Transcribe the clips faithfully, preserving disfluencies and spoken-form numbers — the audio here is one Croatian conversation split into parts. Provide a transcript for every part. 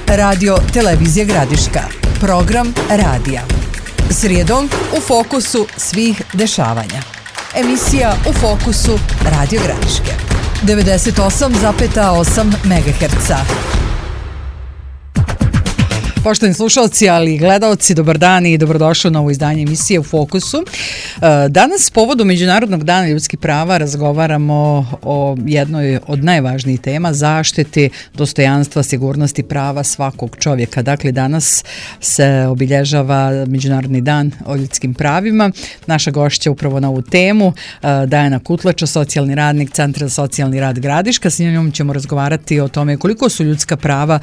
Radio Televizija Gradiška. Program radija. Srijedom u fokusu svih dešavanja. Emisija U fokusu Radio Gradiške. devedeset osam zarez osam megaherca. Poštovani slušalci, ali i gledaoci, dobar dan i dobrodošli u novo izdanje emisije U fokusu. Danas, povodom Međunarodnog dana ljudskih prava, razgovaramo o jednoj od najvažnijih tema, zaštiti dostojanstva, sigurnosti prava svakog čovjeka. Dakle, danas se obilježava Međunarodni dan o ljudskim pravima. Naša gošća upravo na ovu temu, Dajana Kutlača, socijalni radnik Centra za socijalni rad Gradiška. S njom ćemo razgovarati o tome koliko su ljudska prava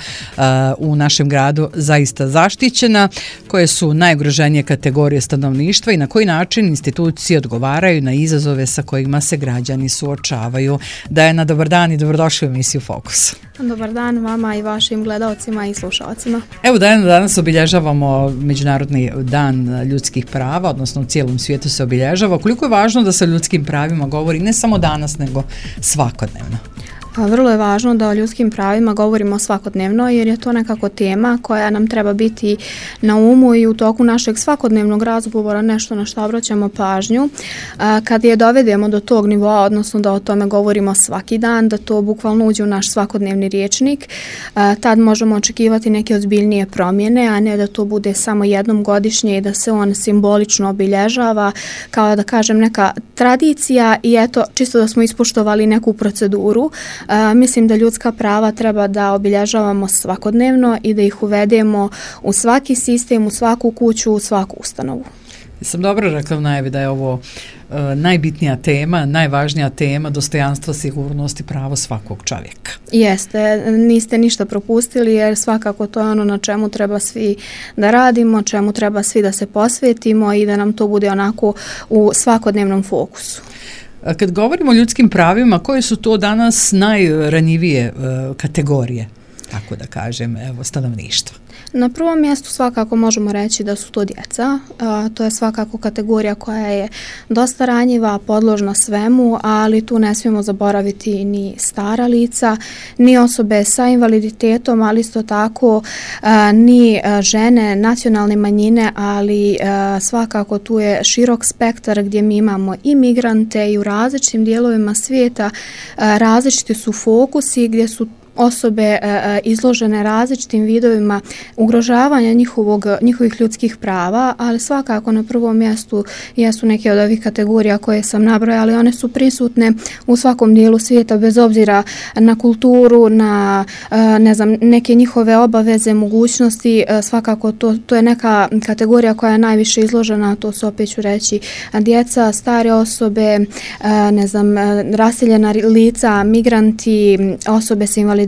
u našem gradu zaista zaštićena, koje su najugroženije kategorije stanovništva i na koji način institucije odgovaraju na izazove sa kojima se građani suočavaju. Dajana, dobar dan i dobrodošli u emisiju Fokus. Dobar dan vama i vašim gledaocima i slušalcima. Evo, Dajana, danas obilježavamo Međunarodni dan ljudskih prava, odnosno u cijelom svijetu se obilježava. Koliko je važno da se o ljudskim pravima govori ne samo danas, nego svakodnevno? Vrlo je važno da o ljudskim pravima govorimo svakodnevno, jer je to nekako tema koja nam treba biti na umu i u toku našeg svakodnevnog razgovora nešto na što obraćamo pažnju. Kad je dovedemo do tog nivoa, odnosno da o tome govorimo svaki dan, da to bukvalno uđe u naš svakodnevni rječnik, tad možemo očekivati neke ozbiljnije promjene, a ne da to bude samo jednom godišnje i da se on simbolično obilježava, kao da kažem neka tradicija i eto, čisto da smo ispoštovali neku proceduru. Uh, mislim da ljudska prava treba da obilježavamo svakodnevno i da ih uvedemo u svaki sistem, u svaku kuću, u svaku ustanovu. Sam dobro rekla u najavi da je ovo uh, najbitnija tema, najvažnija tema, dostojanstvo, sigurnost i pravo svakog čovjeka. Jeste, niste ništa propustili, jer svakako to je ono na čemu treba svi da radimo, čemu treba svi da se posvetimo i da nam to bude onako u svakodnevnom fokusu. Kad govorimo o ljudskim pravima, koje su to danas najranjivije uh, kategorije, tako da kažem, evo, stanovništva? Na prvom mjestu svakako možemo reći da su to djeca. A, to je svakako kategorija koja je dosta ranjiva, podložna svemu, ali tu ne smijemo zaboraviti ni stara lica, ni osobe sa invaliditetom, ali isto tako a, ni a, žene, nacionalne manjine, ali a, svakako tu je širok spektar gdje mi imamo i migrante i u različitim dijelovima svijeta. A, različiti su fokusi gdje su osobe e, izložene različitim vidovima ugrožavanja njihovog, njihovih ljudskih prava, ali svakako na prvom mjestu jesu neke od ovih kategorija koje sam nabrojala, ali one su prisutne u svakom dijelu svijeta bez obzira na kulturu, na e, ne znam, neke njihove obaveze, mogućnosti. E, svakako to, to je neka kategorija koja je najviše izložena, to su, opet ću reći, djeca, stare osobe, e, ne znam, raseljena lica, migranti, osobe sa invaliditetom,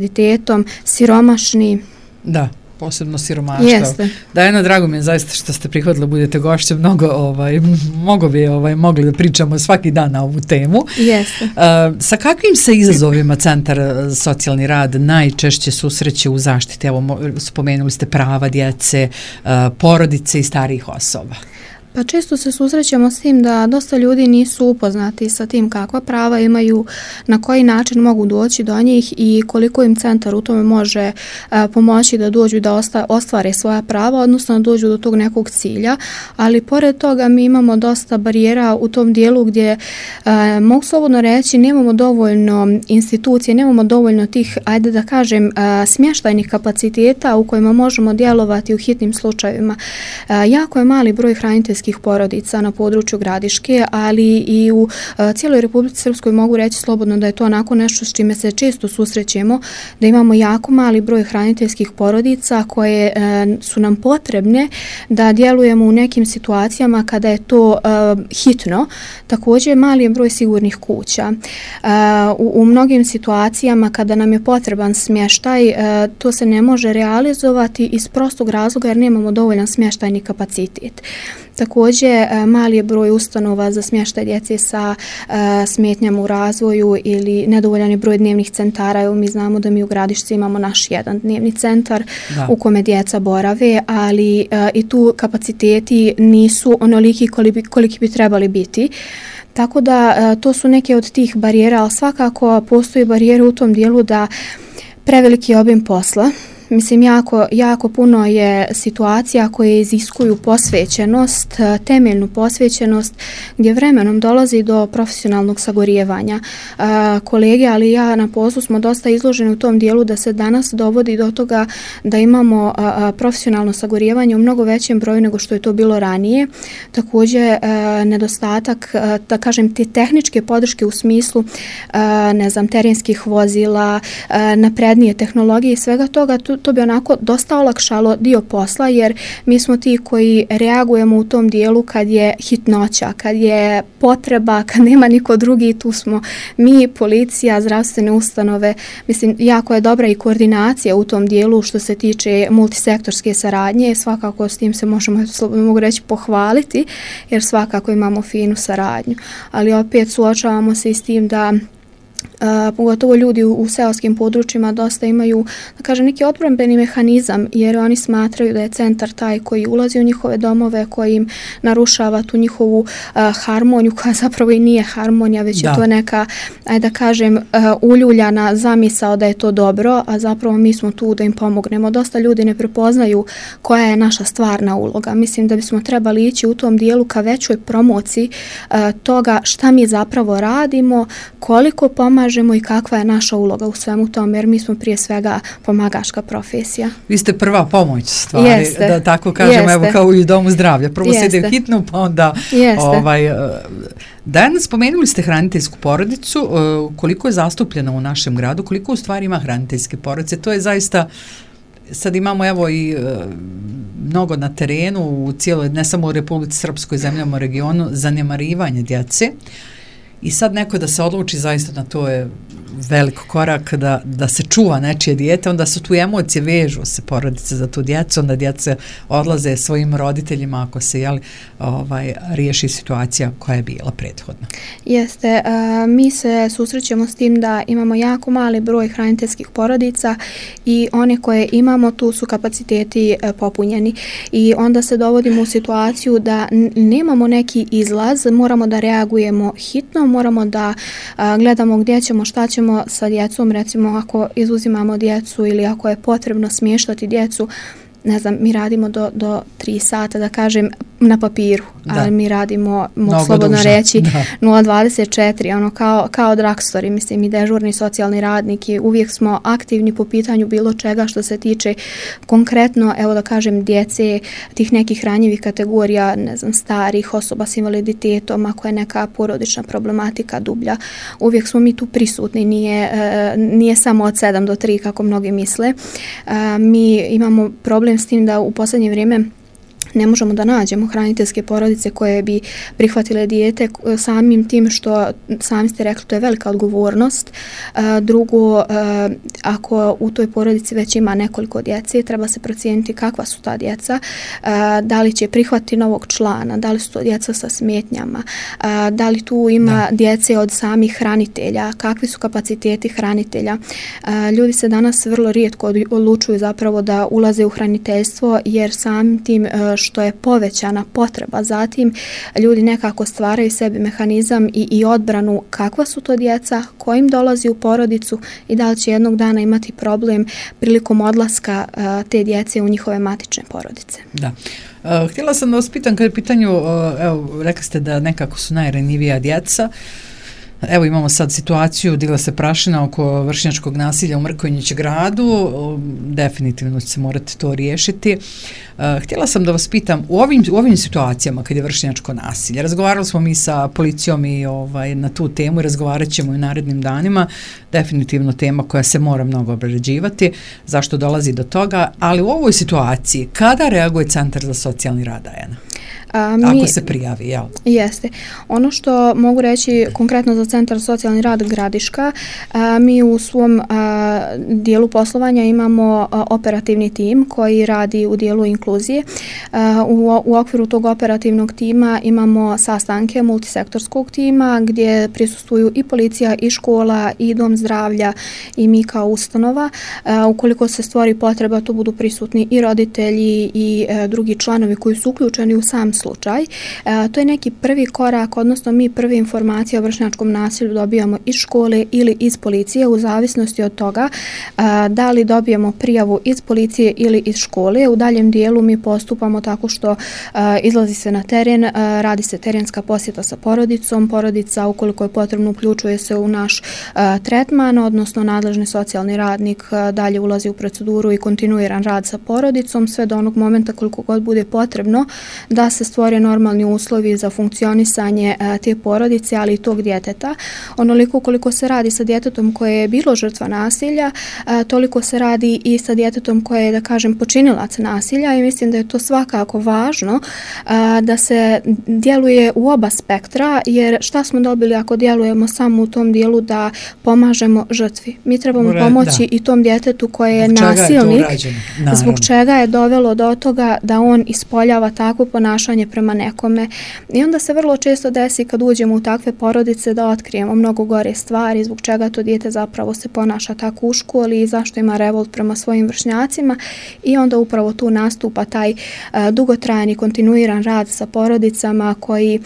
siromašni. Da, posebno siromaštvo. Jeste. Dajana, drago mi je zaista što ste prihvatili, budete gošće, mnogo, ovaj, mogo bi ovaj, mogli da pričamo svaki dan na ovu temu. Jeste. Uh, sa kakvim se izazovima Centar za socijalni rad najčešće susreće u zaštiti? Evo, spomenuli ste prava djece, uh, porodice i starijih osoba. Pa često se susrećemo s tim da dosta ljudi nisu upoznati sa tim kakva prava imaju, na koji način mogu doći do njih i koliko im centar u tome može a, pomoći da dođu da osta, ostvare svoja prava, odnosno da dođu do tog nekog cilja. Ali pored toga mi imamo dosta barijera u tom dijelu gdje a, mogu slobodno reći nemamo dovoljno institucije, nemamo dovoljno tih, ajde da kažem, a, smještajnih kapaciteta u kojima možemo djelovati u hitnim slučajevima. A, jako je mali broj hraniteljskih porodica na području Gradiške, ali i u uh, cijeloj Republici Srpskoj mogu reći slobodno da je to onako nešto s čime se često susrećemo, da imamo jako mali broj hraniteljskih porodica koje uh, su nam potrebne da djelujemo u nekim situacijama kada je to uh, hitno. Također mali je broj sigurnih kuća. Uh, u, u mnogim situacijama kada nam je potreban smještaj, uh, to se ne može realizovati iz prostog razloga jer nemamo dovoljan smještajni kapacitet. Također, mali je broj ustanova za smještaj djece sa uh, smetnjama u razvoju ili nedovoljan je broj dnevnih centara. Evo, mi znamo da mi u Gradišci imamo naš jedan dnevni centar da. u kome djeca borave, ali uh, i tu kapaciteti nisu onoliki koliki, koliki bi trebali biti. Tako da uh, to su neke od tih barijera, ali svakako postoji barijere u tom dijelu da preveliki obim posla, mislim jako, jako puno je situacija koje iziskuju posvećenost, temeljnu posvećenost gdje vremenom dolazi do profesionalnog sagorijevanja. Kolege, ali ja na poslu smo dosta izloženi u tom dijelu da se danas dovodi do toga da imamo profesionalno sagorijevanje u mnogo većem broju nego što je to bilo ranije. Također nedostatak, da kažem, te tehničke podrške u smislu ne znam, terenskih vozila, naprednije tehnologije i svega toga, to, to bi onako dosta olakšalo dio posla, jer mi smo ti koji reagujemo u tom dijelu kad je hitnoća, kad je potreba, kad nema niko drugi, tu smo mi, policija, zdravstvene ustanove. Mislim, jako je dobra i koordinacija u tom dijelu što se tiče multisektorske saradnje, svakako s tim se možemo, mogu reći, pohvaliti, jer svakako imamo finu saradnju, ali opet suočavamo se i s tim da Uh, pogotovo ljudi u, u seoskim područjima dosta imaju, da kažem, neki odbrambeni mehanizam, jer oni smatraju da je centar taj koji ulazi u njihove domove, koji im narušava tu njihovu uh, harmoniju, koja zapravo i nije harmonija, već da. je to neka, ajde da kažem, uh, uljuljana zamisao da je to dobro, a zapravo mi smo tu da im pomognemo. Dosta ljudi ne prepoznaju koja je naša stvarna uloga. Mislim da bismo trebali ići u tom dijelu ka većoj promociji uh, toga šta mi zapravo radimo, koliko pomažemo i kakva je naša uloga u svemu tome, jer mi smo prije svega pomagačka profesija. Vi ste prva pomoć stvari, Jeste. da tako kažemo, Jeste. evo kao i u domu zdravlja. Prvo Jeste. se ide u hitnu, pa onda ovaj, danas spomenuli ste hraniteljsku porodicu, koliko je zastupljena u našem gradu, koliko u stvari ima hraniteljske porodice, to je zaista, sad imamo evo i mnogo na terenu, u cijeloj, ne samo u Republici Srpskoj, zemljama u regionu, zanemarivanje djece. I sad neko da se odluči zaista na to je velik korak da, da se čuva nečije dijete, onda su tu emocije, vežu se porodice za tu djecu, onda djece odlaze svojim roditeljima ako se jeli, ovaj, riješi situacija koja je bila prethodna. Jeste, uh, mi se susrećemo s tim da imamo jako mali broj hraniteljskih porodica i one koje imamo, tu su kapaciteti uh, popunjeni i onda se dovodimo u situaciju da n- nemamo neki izlaz, moramo da reagujemo hitno, moramo da uh, gledamo gdje ćemo, šta ćemo sa djecom, recimo ako izuzimamo djecu ili ako je potrebno smještati djecu, ne znam, mi radimo do, do tri sata, da kažem, na papiru, da. ali mi radimo, mogu slobodno duže. reći, nula dvadeset četiri, ono kao, kao dragstori, mislim, i dežurni socijalni radnik i uvijek smo aktivni po pitanju bilo čega što se tiče konkretno, evo da kažem, djece, tih nekih ranjivih kategorija, ne znam, starih osoba s invaliditetom, ako je neka porodična problematika dublja, uvijek smo mi tu prisutni, nije, nije samo od sedam do tri kako mnogi misle. Mi imamo problem s tim da u posljednje vrijeme ne možemo da nađemo hraniteljske porodice koje bi prihvatile dijete samim tim što, sami ste rekli, to je velika odgovornost. Drugo, ako u toj porodici već ima nekoliko djece, treba se procijeniti kakva su ta djeca, da li će prihvatiti novog člana, da li su to djeca sa smetnjama, da li tu ima da. djece od samih hranitelja, kakvi su kapaciteti hranitelja. Ljudi se danas vrlo rijetko odlučuju zapravo da ulaze u hraniteljstvo, jer samim tim što je povećana potreba. Zatim ljudi nekako stvaraju sebi mehanizam i, i odbranu kakva su to djeca, ko im dolazi u porodicu i da li će jednog dana imati problem prilikom odlaska uh, te djece u njihove matične porodice. Da. Uh, htjela sam da vas pitam, kada je pitanju, uh, evo, rekli ste da nekako su najranjivija djeca. Evo imamo sad situaciju, digla se prašina oko vršnjačkog nasilja u Mrkonjić gradu, definitivno će se morati to riješiti. Uh, htjela sam da vas pitam, u ovim, u ovim situacijama kad je vršnjačko nasilje, razgovarali smo mi sa policijom i ovaj, na tu temu i razgovarat ćemo i u narednim danima, definitivno tema koja se mora mnogo obrađivati, zašto dolazi do toga, ali u ovoj situaciji, kada reaguje Centar za socijalni rad A J N A? A, mi, ako se prijavi, jel? Jeste. Ono što mogu reći konkretno za Centar socijalni rad Gradiška, a, mi u svom a, dijelu poslovanja imamo a, operativni tim koji radi u dijelu inkluzije. A, u, u okviru tog operativnog tima imamo sastanke multisektorskog tima gdje prisustvuju i policija, i škola, i dom zdravlja, i mi kao ustanova. A, ukoliko se stvori potreba, tu budu prisutni i roditelji i a, drugi članovi koji su uključeni u sam slučaj slučaj. E, to je neki prvi korak, odnosno mi prve informacije o vršnjačkom nasilju dobijamo iz škole ili iz policije, u zavisnosti od toga e, da li dobijemo prijavu iz policije ili iz škole. U daljem dijelu mi postupamo tako što e, izlazi se na teren, e, radi se terenska posjeta sa porodicom, porodica ukoliko je potrebno uključuje se u naš e, tretman, odnosno nadležni socijalni radnik e, dalje ulazi u proceduru i kontinuiran rad sa porodicom, sve do onog momenta koliko god bude potrebno da se stvore normalni uslovi za funkcionisanje e, te porodice, ali i tog djeteta. Onoliko koliko se radi sa djetetom koje je bilo žrtva nasilja, e, toliko se radi i sa djetetom koje je, da kažem, počinilac nasilja, i mislim da je to svakako važno e, da se djeluje u oba spektra, jer šta smo dobili ako djelujemo samo u tom dijelu da pomažemo žrtvi? Mi trebamo Ure, pomoći da. i tom djetetu koje je nasilnik, je zbog čega je dovelo do toga da on ispoljava takvo ponašanje prema nekome. I onda se vrlo često desi kad uđemo u takve porodice da otkrijemo mnogo gore stvari, zbog čega to dijete zapravo se ponaša tako u školi i zašto ima revolt prema svojim vršnjacima, i onda upravo tu nastupa taj uh, dugotrajan kontinuiran rad sa porodicama koji,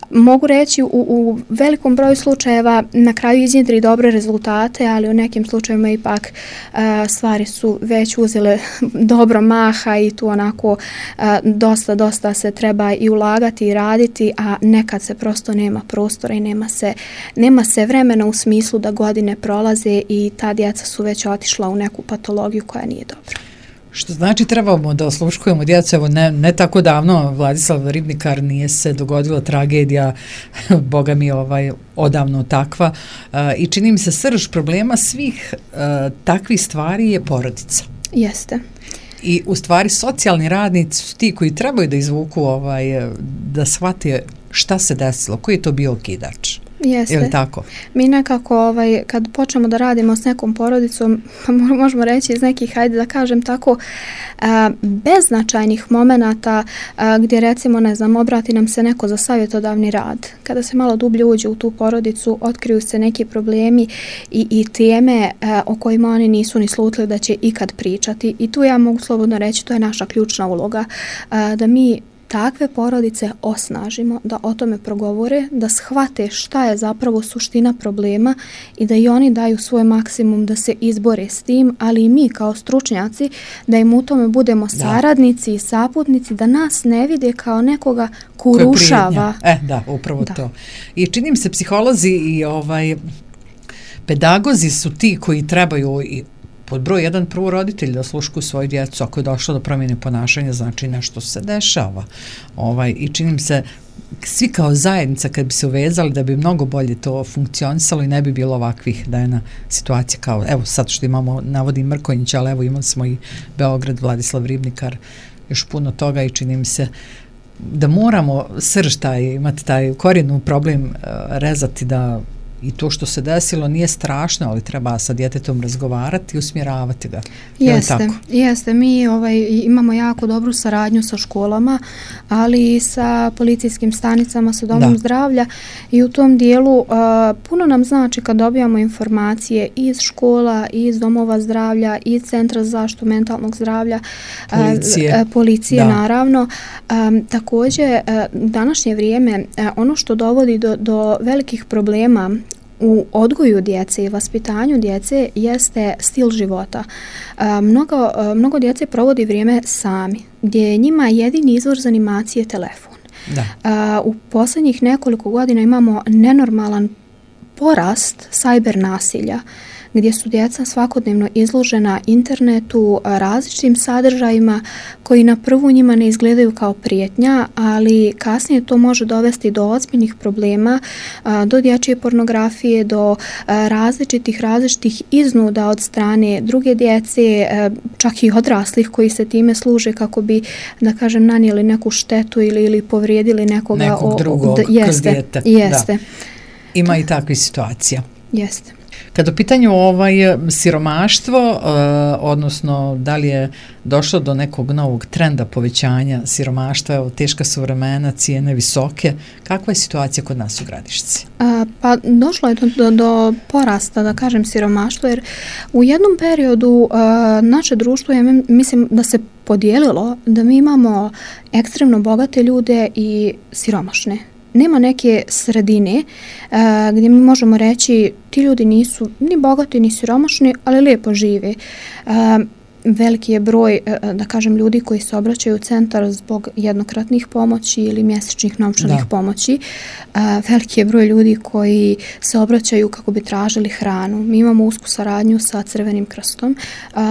mogu reći, u, u velikom broju slučajeva na kraju iznjedri dobre rezultate, ali u nekim slučajevima ipak uh, stvari su već uzele dobro maha i tu onako uh, dosta, dosta se treba i ulagati i raditi, a nekad se prosto nema prostora i nema se, nema se vremena u smislu da godine prolaze i ta djeca su već otišla u neku patologiju koja nije dobra. Što znači trebamo da osluškujemo djecu, evo ne, ne tako davno Vladislav Ribnikar nije se dogodila tragedija, boga mi ovaj odavno takva, uh, i čini mi se srž problema svih uh, takvih stvari je porodica. Jeste. I u stvari socijalni radnici su ti koji trebaju da izvuku, ovaj, da shvate šta se desilo, koji je to bio okidač. Jeste. Ili tako? Mi nekako, ovaj, kad počnemo da radimo s nekom porodicom, možemo reći iz nekih, hajde da kažem tako, a, beznačajnih momenata a, gdje recimo, ne znam, obrati nam se neko za savjetodavni rad. Kada se malo dublje uđe u tu porodicu, otkriju se neki problemi i, i teme a, o kojima oni nisu ni slutili da će ikad pričati. I tu ja mogu slobodno reći, to je naša ključna uloga, a, da mi takve porodice osnažimo, da o tome progovore, da shvate šta je zapravo suština problema i da i oni daju svoj maksimum da se izbore s tim, ali i mi kao stručnjaci da im u tome budemo da. saradnici i saputnici, da nas ne vide kao nekoga ko urušava. E, da, upravo da. to. I čini mi se psiholozi i ovaj pedagozi su ti koji trebaju i pod broj jedan prvo roditelj da osluškuju svoju djecu, ako je došlo do promjene ponašanja, znači nešto se dešava. Ovaj, i čini mi se svi kao zajednica kad bi se uvezali da bi mnogo bolje to funkcionisalo i ne bi bilo ovakvih da je na situacija kao, evo sad što imamo, navodim Mrkonjića, ali evo imali smo i Beograd, Vladislav Ribnikar, još puno toga, i čini mi se da moramo srž taj, imati taj korijenu problem uh, rezati, da i to što se desilo nije strašno, ali treba sa djetetom razgovarati i usmjeravati ga. Jeste, tako? jeste. Mi ovaj, imamo jako dobru saradnju sa školama, ali i sa policijskim stanicama, sa domom da. zdravlja, i u tom dijelu uh, puno nam znači kad dobijamo informacije iz škola, iz domova zdravlja, iz centra za zaštitu mentalnog zdravlja, policije, uh, policije naravno. Um, također, uh, današnje vrijeme, uh, ono što dovodi do, do velikih problema u odgoju djece i vaspitanju djece jeste stil života. E, mnogo, mnogo djece provodi vrijeme sami, gdje je njima jedini izvor za animacije telefon. Da. E, u posljednjih nekoliko godina imamo nenormalan porast sajber nasilja, gdje su djeca svakodnevno izložena internetu, različitim sadržajima koji na prvu njima ne izgledaju kao prijetnja, ali kasnije to može dovesti do ozbiljnih problema, do dječje pornografije, do različitih različitih iznuda od strane druge djece, čak i odraslih koji se time služe kako bi, da kažem, nanijeli neku štetu ili, ili povrijedili nekoga. Nekog drugog o, d, jeste, kroz dijete. Jeste. Da. Ima i takvih situacija. Jeste. Kad u pitanju ovaj siromaštvo, uh, odnosno da li je došlo do nekog novog trenda povećanja siromaštva, evo, teška su vremena, cijene visoke, kakva je situacija kod nas u Gradišci? A, pa došlo je do, do, do porasta, da kažem, siromaštva, jer u jednom periodu a, naše društvo je, mislim, da se podijelilo, da mi imamo ekstremno bogate ljude i siromašne. Nema neke sredine uh, gdje mi možemo reći ti ljudi nisu ni bogati ni siromašni, ali lijepo žive. Uh, veliki je broj, uh, da kažem, ljudi koji se obraćaju u centar zbog jednokratnih pomoći ili mjesečnih novčanih da. pomoći. Uh, veliki je broj ljudi koji se obraćaju kako bi tražili hranu. Mi imamo usku saradnju sa Crvenim krstom. Uh,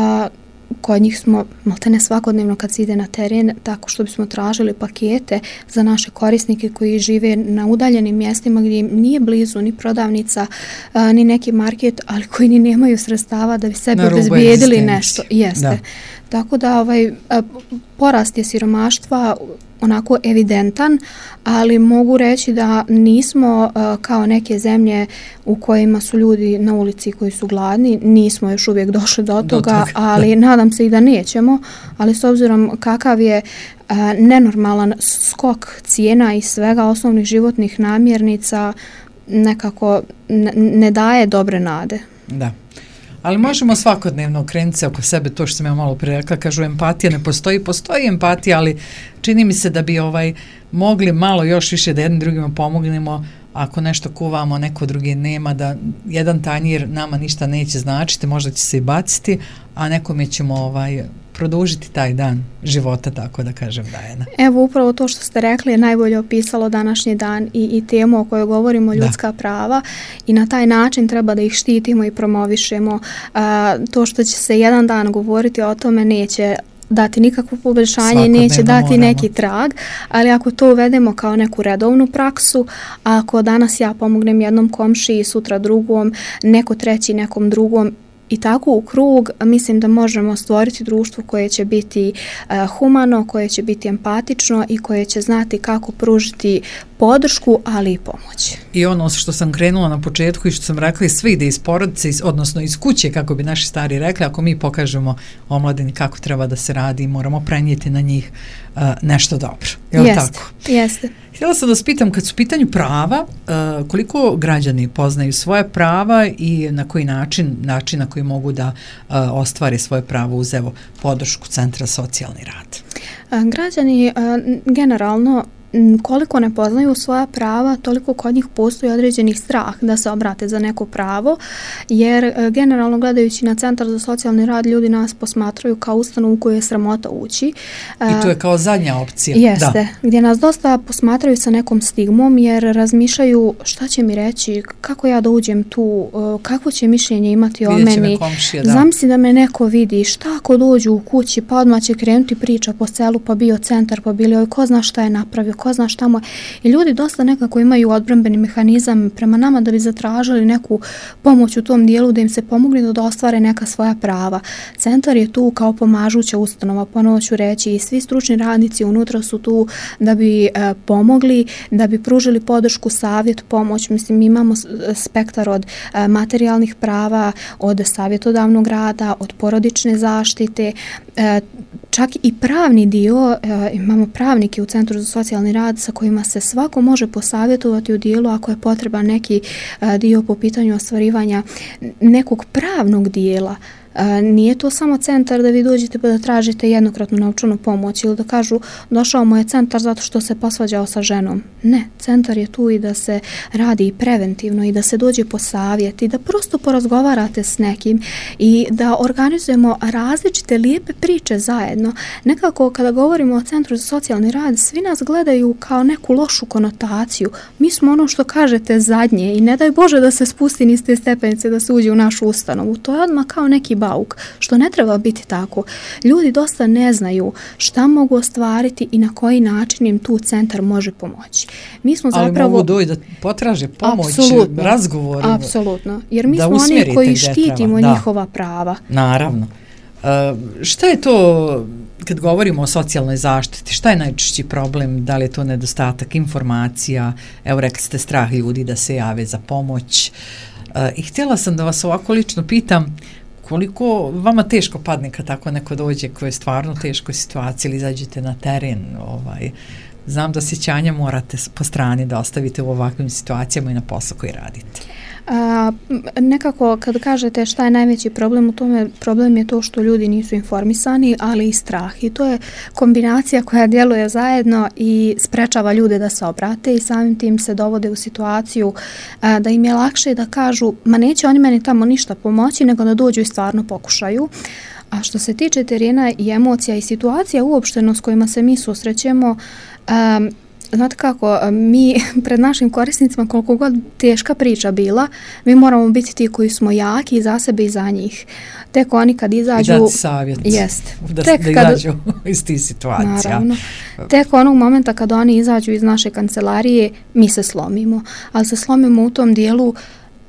Kod njih smo maltene svakodnevno kad se ide na teren, tako što bismo tražili pakete za naše korisnike koji žive na udaljenim mjestima gdje nije blizu ni prodavnica, a, ni neki market, ali koji ni nemaju sredstava da bi sebi obezbijedili nešto. Jeste. Da. Tako da ovaj, a, porast je siromaštva onako evidentan, ali mogu reći da nismo uh, kao neke zemlje u kojima su ljudi na ulici koji su gladni, nismo još uvijek došli do toga, do toga. ali nadam se i da nećemo, ali s obzirom kakav je uh, nenormalan skok cijena i svega osnovnih životnih namirnica, nekako ne, ne daje dobre nade. Da. Ali možemo svakodnevno okrenuti se oko sebe, to što sam ja malo prije rekla, kažu empatija ne postoji, postoji empatija, ali čini mi se da bi ovaj mogli malo još više da jednim drugima pomognemo, ako nešto kuvamo, neko drugi nema, da jedan tanjir nama ništa neće značiti, možda će se i baciti, a nekome ćemo ovaj produžiti taj dan života, tako da kažem, Dajana. Evo, upravo to što ste rekli je najbolje opisalo današnji dan i, i temu o kojoj govorimo, ljudska da. prava, i na taj način treba da ih štitimo i promovišemo. A, to što će se jedan dan govoriti o tome neće dati nikakvo poboljšanje, neće dati moramo. neki trag, ali ako to uvedemo kao neku redovnu praksu, ako danas ja pomognem jednom komšiji, sutra drugom, neko treći nekom drugom, i tako u krug, mislim da možemo stvoriti društvo koje će biti uh, humano, koje će biti empatično i koje će znati kako pružiti podršku, ali i pomoć. I ono što sam krenula na početku i što sam rekla, sve ide iz porodice, odnosno iz kuće, kako bi naši stari rekli, ako mi pokažemo omladini kako treba da se radi, moramo prenijeti na njih uh, nešto dobro. Je li jeste, tako? Jeste. Htjela sam da vas pitam, kad su u pitanju prava, uh, koliko građani poznaju svoje prava i na koji način, način na koji mogu da uh, ostvare svoje pravo uz evo podršku Centra socijalni rad? Uh, građani uh, generalno koliko ne poznaju svoja prava, toliko kod njih postoji određenih strah da se obrate za neko pravo, jer generalno gledajući na Centar za socijalni rad ljudi nas posmatraju kao ustanovu u koju je sramota ući. I to je kao zadnja opcija. Jeste, da. Gdje nas dosta posmatraju sa nekom stigmom, jer razmišljaju šta će mi reći, kako ja da uđem tu, kako će mišljenje imati o meni. Komšije, da. Zamisli da me neko vidi, šta ako dođu u kući, pa odmah će krenuti priča po selu, pa bio centar, pa bili oj, ko zna šta je napravio, ko zna šta mu je. I ljudi dosta nekako imaju odbrambeni mehanizam prema nama da bi zatražili neku pomoć u tom dijelu, da im se pomogne da ostvare neka svoja prava. Centar je tu kao pomažuća ustanova, ponovo ću reći, i svi stručni radnici unutra su tu da bi e, pomogli, da bi pružili podršku, savjet, pomoć. Mislim, mi imamo spektar od e, materijalnih prava, od savjetodavnog rada, od porodične zaštite, e, čak i pravni dio, e, imamo pravnike u Centru za socijalni rad sa kojima se svako može posavjetovati u dijelu ako je potreban neki e, dio po pitanju ostvarivanja nekog pravnog dijela. E, nije to samo centar da vi dođete pa da tražite jednokratnu novčanu pomoć ili da kažu došao mu je centar zato što se posvađao sa ženom. Ne, centar je tu i da se radi i preventivno i da se dođe po savjet i da prosto porazgovarate s nekim i da organizujemo različite lijepe priče zajedno. Nekako kada govorimo o Centru za socijalni rad, svi nas gledaju kao neku lošu konotaciju. Mi smo ono što kažete zadnje i ne daj Bože da se spusti niz te stepenice da se uđe u našu ustanovu. To je odmah kao neki bauk, što ne treba biti tako. Ljudi dosta ne znaju šta mogu ostvariti i na koji način im tu centar može pomoći. Mi smo ali zapravo... mogu doći da potraže pomoć, apsolutno, razgovor. Apsolutno, jer mi smo oni koji štitimo prava. njihova prava. Naravno. Uh, šta je to, kad govorimo o socijalnoj zaštiti, šta je najčešći problem? Da li je to nedostatak informacija? Evo, rekli ste strah ljudi da se jave za pomoć. I htjela sam da vas ovako lično pitam, koliko vama teško padne kad tako neko dođe koji je stvarno u teškoj situaciji ili izađete na teren? Ovaj, znam da sjećanja morate po strani da ostavite u ovakvim situacijama i na poslu koji radite. A, nekako kad kažete šta je najveći problem u tome, problem je to što ljudi nisu informisani, ali i strah, i to je kombinacija koja djeluje zajedno i sprečava ljude da se obrate i samim tim se dovode u situaciju a, da im je lakše da kažu ma neće oni meni tamo ništa pomoći nego da dođu i stvarno pokušaju. A što se tiče terena i emocija i situacija uopšteno s kojima se mi susrećemo, um, znate kako, mi pred našim korisnicima, koliko god teška priča bila, mi moramo biti ti koji smo jaki i za sebe i za njih. Tek oni kad izađu... I dati savjet jest, da, tek da izađu iz tih situacija. Naravno. Tek onog momenta kad oni izađu iz naše kancelarije, mi se slomimo. Ali se slomimo u tom dijelu,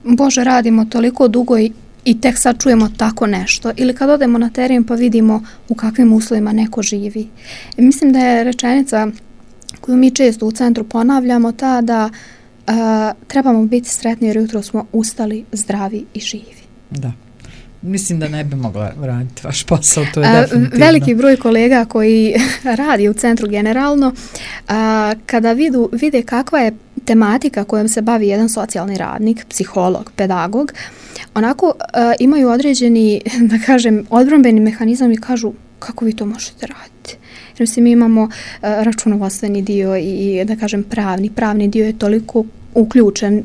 Bože, radimo toliko dugo i i tek sad čujemo tako nešto. Ili kad odemo na teren pa vidimo u kakvim uslovima neko živi. I mislim da je rečenica koju mi često u centru ponavljamo ta da uh, trebamo biti sretni jer jutro smo ustali, zdravi i živi. Da. Mislim da ne bi mogla raditi vaš posao, to je a, definitivno. Veliki broj kolega koji radi u centru generalno, a, kada vidu, vide kakva je tematika kojom se bavi jedan socijalni radnik, psiholog, pedagog, onako a, imaju određeni, da kažem, odbrambeni mehanizam i kažu kako vi to možete raditi. Jer mi imamo a, računovodstveni dio i, da kažem, pravni. Pravni dio je toliko uključen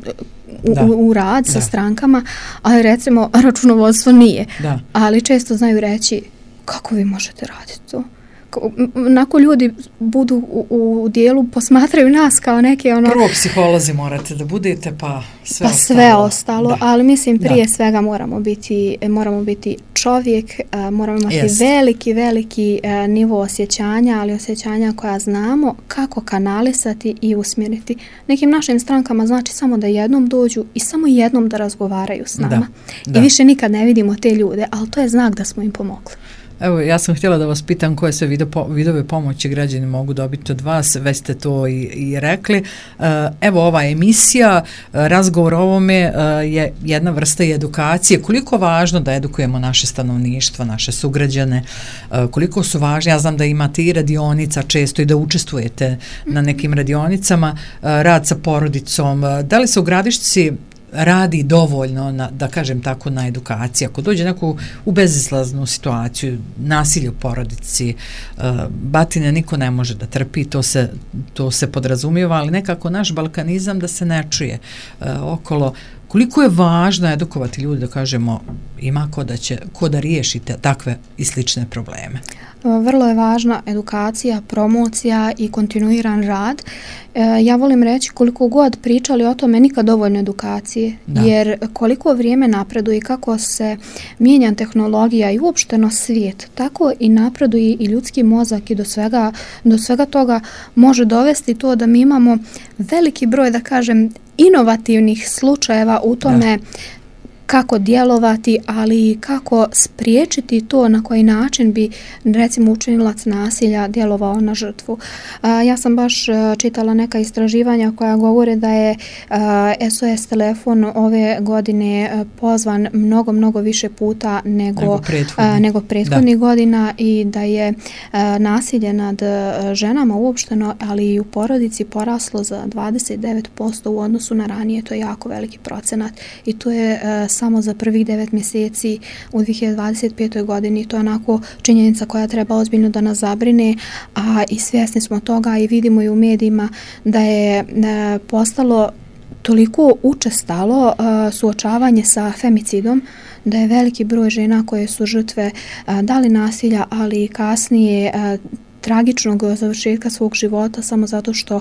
U, u, u rad sa da. strankama, ali recimo računovodstvo nije. Da. Ali često znaju reći kako vi možete raditi to. Nako ljudi budu u, u dijelu, posmatraju nas kao neke ono... Prvo psiholozi morate da budete, pa sve pa ostalo. sve ostalo, da. Ali mislim prije da. svega moramo biti, moramo biti čovjek, moramo imati yes. veliki, veliki nivo osjećanja, ali osjećanja koja znamo kako kanalisati i usmjeriti. Nekim našim strankama znači samo da jednom dođu i samo jednom da razgovaraju s nama. Da. Da. I više nikad ne vidimo te ljude, ali to je znak da smo im pomogli. Evo, ja sam htjela da vas pitam koje sve video, vidove pomoći građani mogu dobiti od vas, već ste to i, i rekli. Evo, ova emisija, razgovor o ovome je jedna vrsta i edukacije. Koliko je važno da edukujemo naše stanovništvo, naše sugrađane, koliko su važni, ja znam da imate i radionica često i da učestvujete na nekim radionicama, rad sa porodicom, da li se u Gradišci radi dovoljno, na, da kažem tako, na edukaciji. Ako dođe neku u bezizlaznu situaciju, nasilje u porodici, uh, batine niko ne može da trpi, to se, to se podrazumijeva, ali nekako naš balkanizam da se ne čuje uh, okolo. Koliko je važno edukovati ljudi da kažemo ima ko da, će, ko da riješite takve i slične probleme? Vrlo je važna edukacija, promocija i kontinuiran rad. E, ja volim reći koliko god pričali o tome, nikad dovoljno edukacije. Da. Jer koliko vrijeme napreduje i kako se mijenja tehnologija i uopšteno svijet, tako i napreduje i ljudski mozak i do svega, do svega toga može dovesti to da mi imamo veliki broj, da kažem, inovativnih slučajeva u tome da. Kako djelovati, ali i kako spriječiti to na koji način bi, recimo, učinilac nasilja djelovao na žrtvu. A, ja sam baš a, čitala neka istraživanja koja govore da je a, S O S telefon ove godine a, pozvan mnogo, mnogo više puta nego, nego prethodnih, a, nego prethodnih godina i da je a, nasilje nad a, ženama uopšteno, ali i u porodici poraslo za dvadeset devet posto u odnosu na ranije. To je jako veliki procenat i to je a, samo za prvih devet mjeseci u dvije hiljade dvadeset petoj godini. To je onako činjenica koja treba ozbiljno da nas zabrine, a i svjesni smo toga i vidimo i u medijima da je e, postalo toliko učestalo e, suočavanje sa femicidom, da je veliki broj žena koje su žrtve e, da li nasilja, ali i kasnije e, tragičnog završetka svog života samo zato što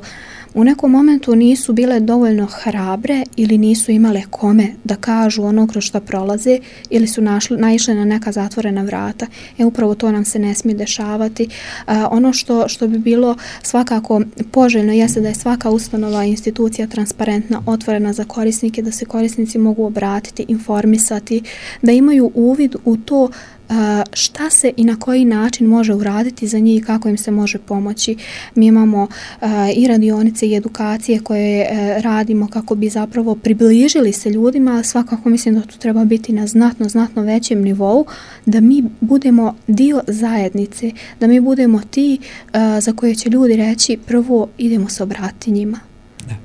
u nekom momentu nisu bile dovoljno hrabre ili nisu imale kome da kažu ono kroz što prolaze ili su našli, naišle na neka zatvorena vrata. E upravo to nam se ne smije dešavati. A, ono što, što bi bilo svakako poželjno jeste da je svaka ustanova i institucija transparentna, otvorena za korisnike, da se korisnici mogu obratiti, informisati, da imaju uvid u to šta se i na koji način može uraditi za njih i kako im se može pomoći. Mi imamo i radionice i edukacije koje radimo kako bi zapravo približili se ljudima, ali svakako mislim da to treba biti na znatno, znatno većem nivou, da mi budemo dio zajednice, da mi budemo ti za koje će ljudi reći prvo idemo se obratiti njima. Da.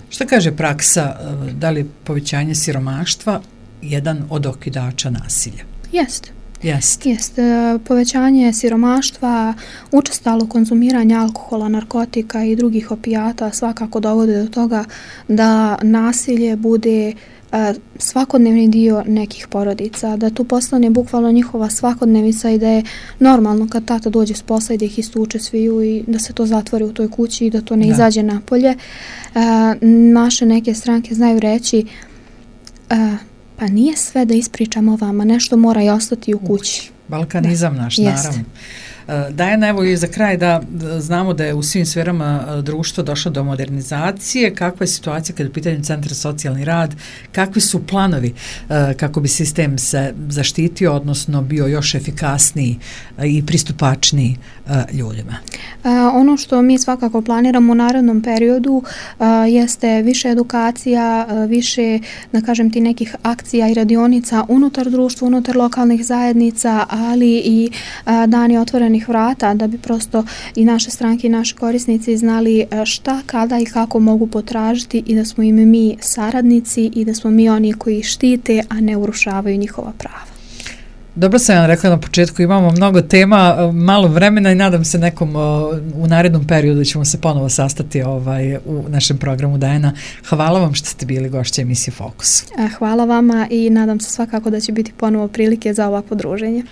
Šta kaže praksa, da li povećanje siromaštva jedan od okidača nasilja? Jeste. Jeste. Jeste. Povećanje siromaštva, učestalo konzumiranje alkohola, narkotika i drugih opijata svakako dovode do toga da nasilje bude svakodnevni dio nekih porodica, da tu postane bukvalno njihova svakodnevica i da je normalno kad tata dođe s posla i da ih istuče sviju i da se to zatvori u toj kući i da to ne da. izađe napolje. Naše neke stranke znaju reći pa nije sve da ispričamo vama, nešto mora i ostati u kući. Balkanizam da. naš, Jeste. naravno. Dajana, evo i za kraj da znamo da je u svim sferama društva došlo do modernizacije. Kakva je situacija kada je u pitanju Centra socijalni rad? Kakvi su planovi kako bi sistem se zaštitio, odnosno bio još efikasniji i pristupačniji ljudima? Ono što mi svakako planiramo u narednom periodu jeste više edukacija, više, da kažem ti, nekih akcija i radionica unutar društva, unutar lokalnih zajednica, ali i dani otvorenih vrata, da bi prosto i naše stranke i naši korisnici znali šta, kada i kako mogu potražiti i da smo im mi saradnici i da smo mi oni koji štite, a ne urušavaju njihova prava. Dobro sam vam rekla na početku, imamo mnogo tema, malo vremena i nadam se nekom u narednom periodu ćemo se ponovo sastati ovaj, u našem programu. Dajana, hvala vam što ste bili gošća emisije Fokus. Hvala vama i nadam se svakako da će biti ponovo prilike za ovakvo druženje.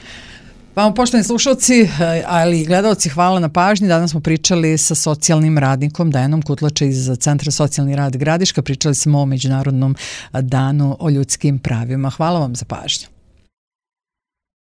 Vama, poštovani slušalci, ali i gledalci, hvala na pažnji. Danas smo pričali sa socijalnim radnikom Dajanom Kutlača iz Centra socijalni rad Gradiška. Pričali smo o Međunarodnom danu o ljudskim pravima. Hvala vam za pažnju.